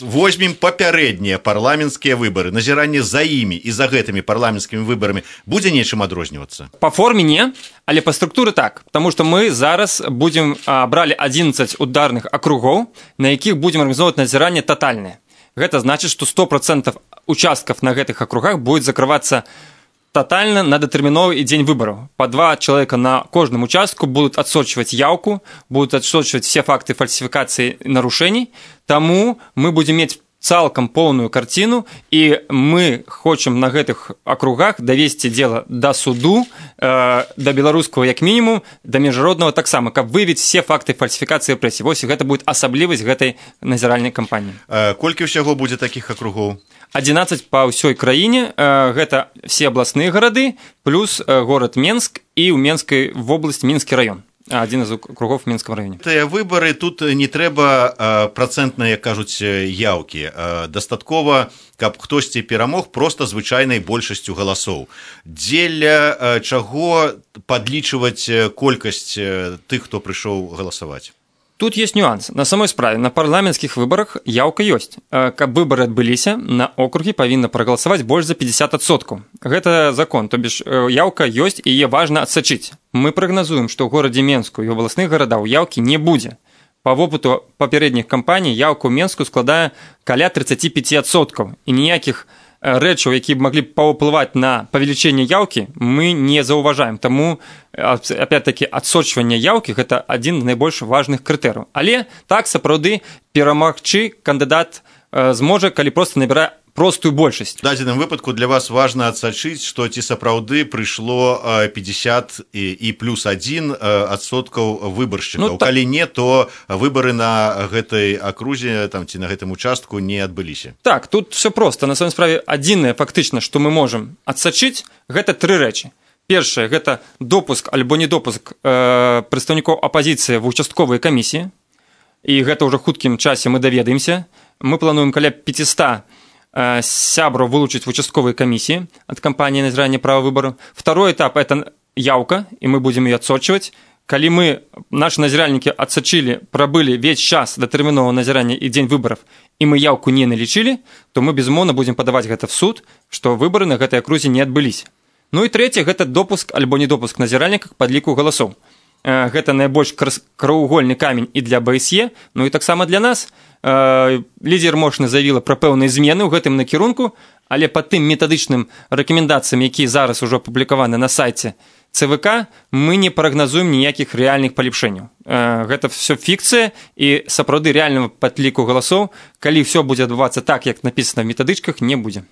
Возьмем папярэднія парламенцкія выбары, назіранне за імі і за гэтымі парламенцкімі выбарамі будзе нечым адрознівацца? Па форме не, але па структуры так, потому што мы зараз бралі 11 ударных акругоў, на якіх будзем арганізоўваць назіранне татальнае. Гэта значыць, што 100% участкаў на гэтых акругах будет закрывацца тотально на датэрміновы і дзень выбараў. По 2 человека на кожным участку будут отсочивать явку, будут отсочивать все факты фальсификации и нарушений. Тому мы будем иметь цалкам полную картину, и мы хочам на гэтых округах давесці дело до суду, до беларускага як мінімум, до міжнароднага таксама, каб выявіць все факты фальсификации рэпрэсій. Вось гэта будет асаблівасць гэтай назіральнай кампаніі. Колькі ўсяго будзе такіх акругоў? 11 па ўсёй краіне, гэта все абласныя гарады, плюс горад Менск і ў Менскай вобласці Мінскі раён. Один из округов в Минском районе. Тыя выбары, тут не трэба працэнтныя, кажуць, яўкі. Дастаткова, каб хтосьці перамог проста звычайнай большасцю галасоў. Дзеля чаго падлічваць колькасць тых, хто прыйшоў галасаваць? Тут есть нюанс. На самой справе, на парламенцкіх выбарах яўка ёсць. Каб выбары адбыліся, на округі павінна прагаласаваць больш за 50%. Гэта закон, то бишь яўка ёсць і яе важна адсачыць. Мы прагназуем, што ў горадзе Менску і ў абласных гарадах яўкі не будзе. Па вопыту папярэдніх кампаній яўка ў Менску складае каля 35%. І ніякіх рэчаў, якія б маглі паўплываць на павелічэнне яўкі, мы не заўважаем. Таму, опять-таки, адсочванне яўкі – гэта адзін з найбольш важных крытэрыяў. Але так, сапраўды, перамагчы кандыдат зможа, калі проста набірае простую большасць. В дадзеным выпадку для вас важна адсачыць, што ці сапраўды прыйшло 50 і плюс 1% выбаршчыкаў. Калі не, то выбары на гэтай акрузе ці на гэтым участку не адбыліся. Так, тут все просто. На самой справе адзінае фактычна, што мы можам адсачыць, гэта 3 рэчы. Першае, гэта допуск альбо недопуск прадстаўнікоў апазіцыі в участковыя камісіі. І гэта ўжо хуткім часе мы даведаемся. Мы плануем каля 500 сябраў вылучыць в участковыя камісіі ад кампаніі назірання права выбару. Второй этап – это яўка, і мы будзем яе адсочваць. Калі мы, наши назіральнікі адсачылі, прабылі весь час датэрміновага назірання і дзень выбараў, і мы яўку не налічылі, то мы, безумоўна, будзем падаваць гэта в суд, што выбары на гэтай акрузе не адбыліся. Ну і трэцяе – гэта допуск альбо недопуск назіральніка к падліку галасоў. Гэта найбольш краўвугольны камень і для БСЕ, ну і таксама для нас. Лідер Мошны заявіла пра пэўныя змены ў гэтым накірунку, але па тым метадычным рэкамендацыям, якія зараз ужо апублікаваны на сайце ЦВК, мы не прагназуем ніякіх рэальных палепшэнняў. Гэта все фікцыя, і сапраўды рэальнага падліку галасоў, калі все будзе адбывацца так, як напісана в метадычках, не будзе.